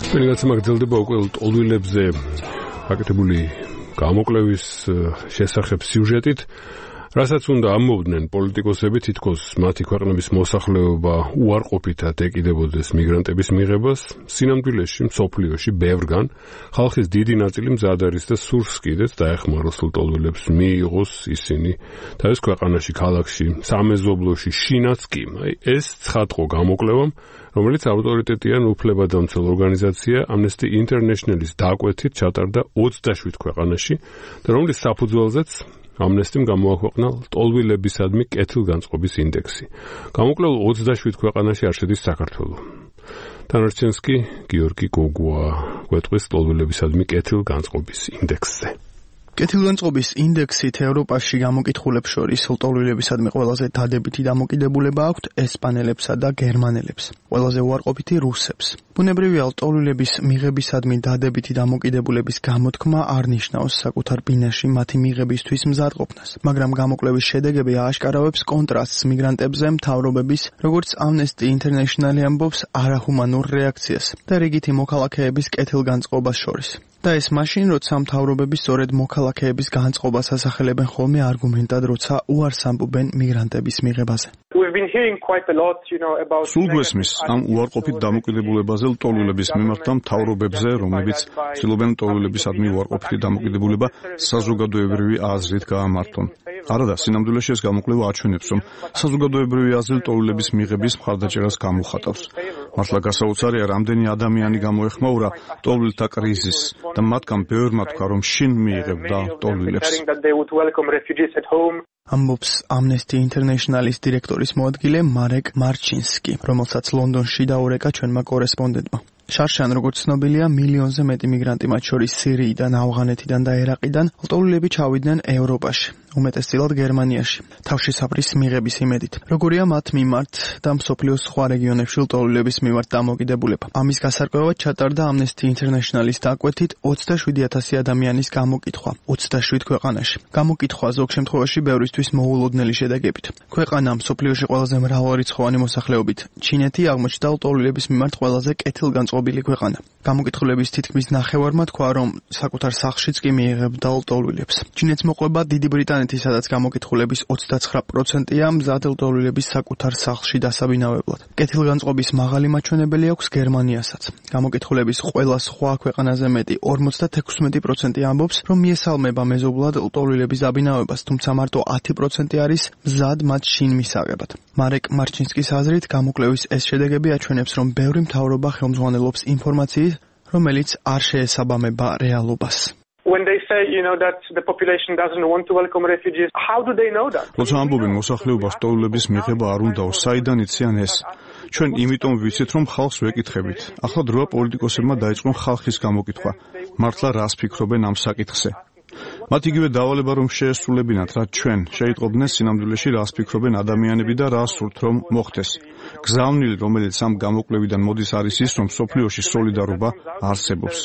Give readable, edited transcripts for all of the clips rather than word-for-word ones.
Penelats magdzilდება უკვე ტოლვილებზე გაკეთებული გამოკვლევის შესახებ სიუჟეტით, რასაც უნდა ამოვდნენ პოლიტიკოსები, თითქოს მათი ქვეყნების მოსახლეობა უარყოფითად ეკიდებოდეს მიგრანტების მიღებას, სინამდვილეში მსოფლიოში ბევრგან ხალხის დიდი ნაწილი მზად არის და სურს კიდეც დაეხმაროს ტოლვილებს მიიღოს ისინი თავის ქვეყანაში, ქალაქში, სამეზობლოში, შინაც კი. ეს ცხადყო გამოკვლევამ, რომელიც ავტორიტეტიან უფლებადამცველ ორგანიზაცია Amnesty International-ის დაკვეთით ჩატარდა 27 ქვეყანაში და რომლის საფუძველზეც Amnesty-მ გამოაქვეყნა ტოლვილებისადმი კეთილგანწყობის ინდექსი. გამოკვლეულ 27 ქვეყანაში არ შედის საქართველო. დანარჩენს კი გიორგი გოგუა გვეტყვის ტოლვილებისადმი კეთილგანწყობის ინდექსზე. კეთილგანწყობის ინდექსით ევროპაში გამოკითხულებს შორის ტოლვილებისადმი ყველაზე დადებითი დამოკიდებულება აქვთ ესპანელებსა და გერმანელებს, ყველაზე უარყოფითი რუსებს. ბუნებრივია, ტოლვილების მიღებისადმი დადებითი დამოკიდებულების გამოთქმა არ ნიშნავს საკუთარ ბინაში მათი მიღებისთვის მზადყოფნას, მაგრამ გამოკვლევის შედეგები ააშკარავებს კონტრასტს მიგრანტებზე მთავრობების, როგორც Amnesty International ამბობს, არაჰუმანურ რეაქციას და რიგითი მოქალაქეების კეთილგანწყობას შორის. და ეს მაშინ, როცა მთავრობები სწორედ მოქალაქეების განწყობას ასახელებენ ხოლმე არგუმენტად, როცა უარს ამბობენ მიგრანტების მიღებაზე. სულ გვესმის ამ უარყოფით დამოკიდებულებაზე ტოლვილების მიმართ და მთავრობებზე, რომლებიც ცდილობენ ტოლვილებისადმი უარყოფითი დამოკიდებულება საზოგადოებრივი აზრით გაამართონ. არადა, სინამდვილეში ეს გამოკვლევა აჩვენებს, რომ საზოგადოებრივი აზრი ტოლვილების მიღების მხარდაჭერას გამოხატავს. მართლა გასაოცარია, რამდენი ადამიანი გამოეხმაურა ტოლვილთა კრიზისს და მათგან ბევრმა თქვა, რომ შინ მიიღებდა ტოლვილებს. ამბობს Amnesty International-ის დირექტორის მოადგილე მარეკ მარჩინსკი, რომელსაც ლონდონში დაურეკა ჩვენმა კორესპონდენტმა. შარშან, როგორც ცნობილია, მილიონზე მეტი მიგრანტი, მათ შორის სირიიდან, ავღანეთიდან და ერაყიდან, ტოლვილები ჩავიდნენ ევროპაში, უმეტესწილად გერმანიაში, თავშესაფრის მიღების იმედით. როგორია მათ მიმართ და მსოფლიოს სხვა რეგიონებში ტოლვილების მიმართ დამოკიდებულება. ამის გასარკვევად ჩატარდა Amnesty International-ის დაკვეთით 27,000 ადამიანის გამოკითხვა 27 ქვეყანაში. გამოკითხვა ზოგ შემთხვევაში ბევრისთვის მოულოდნელი შედეგებით. ქვეყანა მსოფლიოში ყველაზე მრავალრიცხოვანი მოსახლეობით, ჩინეთი აღმოჩნდა ტოლვილების მიმართ ყველაზე კეთილგანწყობილი ქვეყანა. გამოკითხულების თითქმის ნახევარმა თქვა, რომ საკუთარ სახლშიც კი მიიღებდა ტოლვილებს. ჩინეთს მოყვება დიდი ბრიტანეთი, სადაც გამოკითხულების 29%-ია მზად ტოლვილების საკუთარ სახლში დასაბინავებლად. კეთილგანწყობის მაღალი მაჩვენებელი აქვს გერმანიასაც. გამოკითხულების ყველა სხვა ქვეყანაზე მეტი 56% ამბობს, რომ მიესალმება მეზობლად ტოლვილების დაბინავებას, თუმცა მარტო 10% არის მზად მათ შინ მისაღებად. მარეკ მარჩინსკის აზრით, გამოკვლევის ეს შედეგები აჩვენებს, რომ ბევრი მთავრობა ხელმძღვანელობს ინფორმაციით, რომელიც არ შეესაბამება რეალობას. When they say, that the population doesn't want to welcome refugees, how do they know that? როცა ამბობენ მოსახლეობას ტოლვილების მიღება არ უნდაო, საიდან იციან ეს? ჩვენ იმიტომ ვიცით, რომ ხალხს ვეკითხებით. ახლა დროა პოლიტიკოსებმა დაიწყონ ხალხის გამოკითხვა. მართლა რას ფიქრობენ ამ საკითხზე? მათ იგივე დავალება რომ შეესრულებინათ, რაც ჩვენ შეიტყობდნენ სინამდვილეში რას ფიქრობენ ადამიანები და რას სურთ რომ მოხდეს. გზავნილი, რომელიც ამ გამოკვლევიდან მოდის, არის ის, რომ მსოფლიოში სოლიდარობა არსებობს.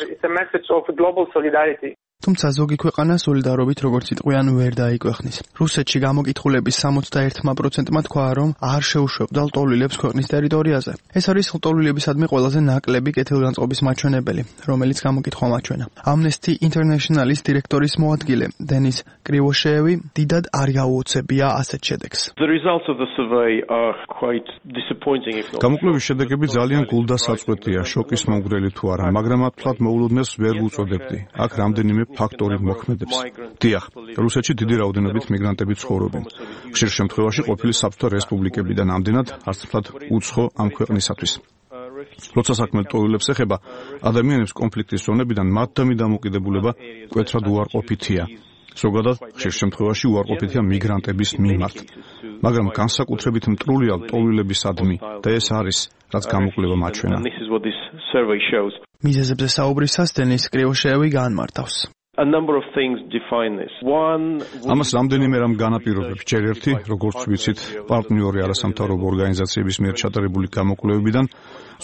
თუმცა ზოგი ქვეყანა სოლიდარობით, როგორც იტყვიან, ვერ დაიკვეხნის. რუსეთში გამოკითხულების 61%-მა თქვა, რომ არ შეუშვებდა ტოლვილებს ქვეყნის ტერიტორიაზე. ეს არის ტოლვილებისადმი ყველაზე ნაკლები კეთილგანწყობის მაჩვენებელი, რომელიც გამოკითხვა მაჩვენა. Amnesty International-ის დირექტორის მოადგილე დენის კრივოშეევი დიდად არ გაუოცებია ასეთ შედეგს. გამოკვლევის შედეგები ძალიან გულდასაწყვეტია, შოკის მომგვრელი თუ არა, მაგრამ ათვლად მოულოდნელს ვერ ვუწოდებდი. აქ რამდენიმე ფაქტორი მოქმედებს. დიახ, რუსეთში დიდი რაოდენობით მიგრანტები ცხოვრობენ. ხშირ შემთხვევაში ყოფილი საბჭოთა რესპუბლიკებიდან ამდენად არცთვლად უცხო ამ ქვეყნისათვის. როცა საქმე ტოლვილებს ეხება, ადამიანებს კონფლიქტის ზონებიდან მათდამი დამოკიდებულება მკვეთრად უარყოფითია. ზოგადად, ხშირ შემთხვევაში უარყოფითია მიგრანტების მიმართ. მაგრამ განსაკუთრებით მტრულია ტოლვილებისადმი და ეს არის, რაც გამოკვლევა მაჩვენა. მიზეზებზე საუბრისას დენის კრივოშეევი განმარტავს. ამას რამდენიმე რამ განაპირობებს. ჯერ ერთი, როგორც ვიცით, პარტნიორი არასამთავრობო ორგანიზაციების მიერ ჩატარებული გამოკვლევებიდან,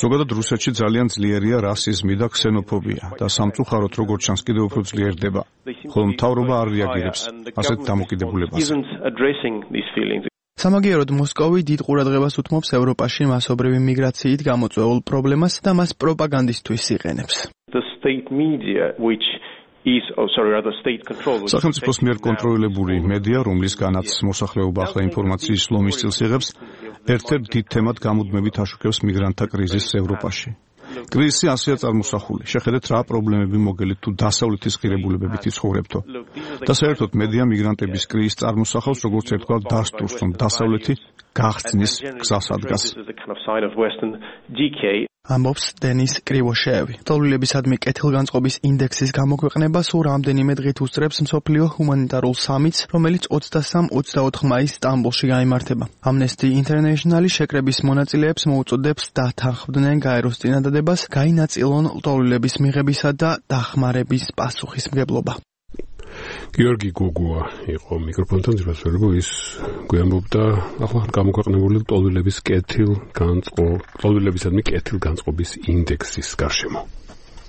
ზოგადად რუსეთში ძალიან ძლიერია რასიზმი და ქსენოფობია და სამწუხაროდ როგორც ჩანს კიდევ უფრო ძლიერდება. ხოლო მთავრობა არ რეაგირებს ასეთ დამოკიდებულებაზე. სამაგიეროდ მოსკოვი დიდ ყურადღებას უთმობს ევროპაში მასობრივი მიგრაციით გამოწვეულ პრობლემას და მას პროპაგანდისთვის იყენებს. სახელმწიფოს მიერ კონტროლირებული მედია, რომლისგანაც მოსახლეობა ახლა ინფორმაციის ლომის სტილს იღებს, ერთ-ერთ დიდ თემად გამუდმებით აშუქებს მიგრანტთა კრიზისს ევროპაში. კრიზისი ასეა წარმოსახული. შეხედეთ რა პრობლემები მოგელით თუ დასავლეთის ღირებულებებით იცხოვრებთო. და საერთოდ მედია მიგრანტების კრიზისს წარმოსახავს როგორც ერთგვარ დასტურს, რომ დასავლეთი გახსნის გზას ადგას. ამბობს დენის კრივოშევი. ტოლვილებისადმი კეთილგანწყობის ინდექსის გამოქვეყნება სულ რამდენიმე დღით უსწრებს მსოფლიო ჰუმანიტარულ სამიტს, რომელიც 23-24 მაისს სტამბოლში გაიმართება. Amnesty International შეკრების მონაწილეებს მოუწოდებს დათანხმდნენ გაეროს წინადადებას, გაინაწილონ ტოლვილების მიღებისა და დახმარების პასუხისმგებლობა. გიორგი გოგუა იყო მიკროფონთან ძირფასველებო ის გვიამბობდა ახლა გამოქვეყნებული ტოლვილებისადმი კეთილგანწყობის ინდექსის გარშემო.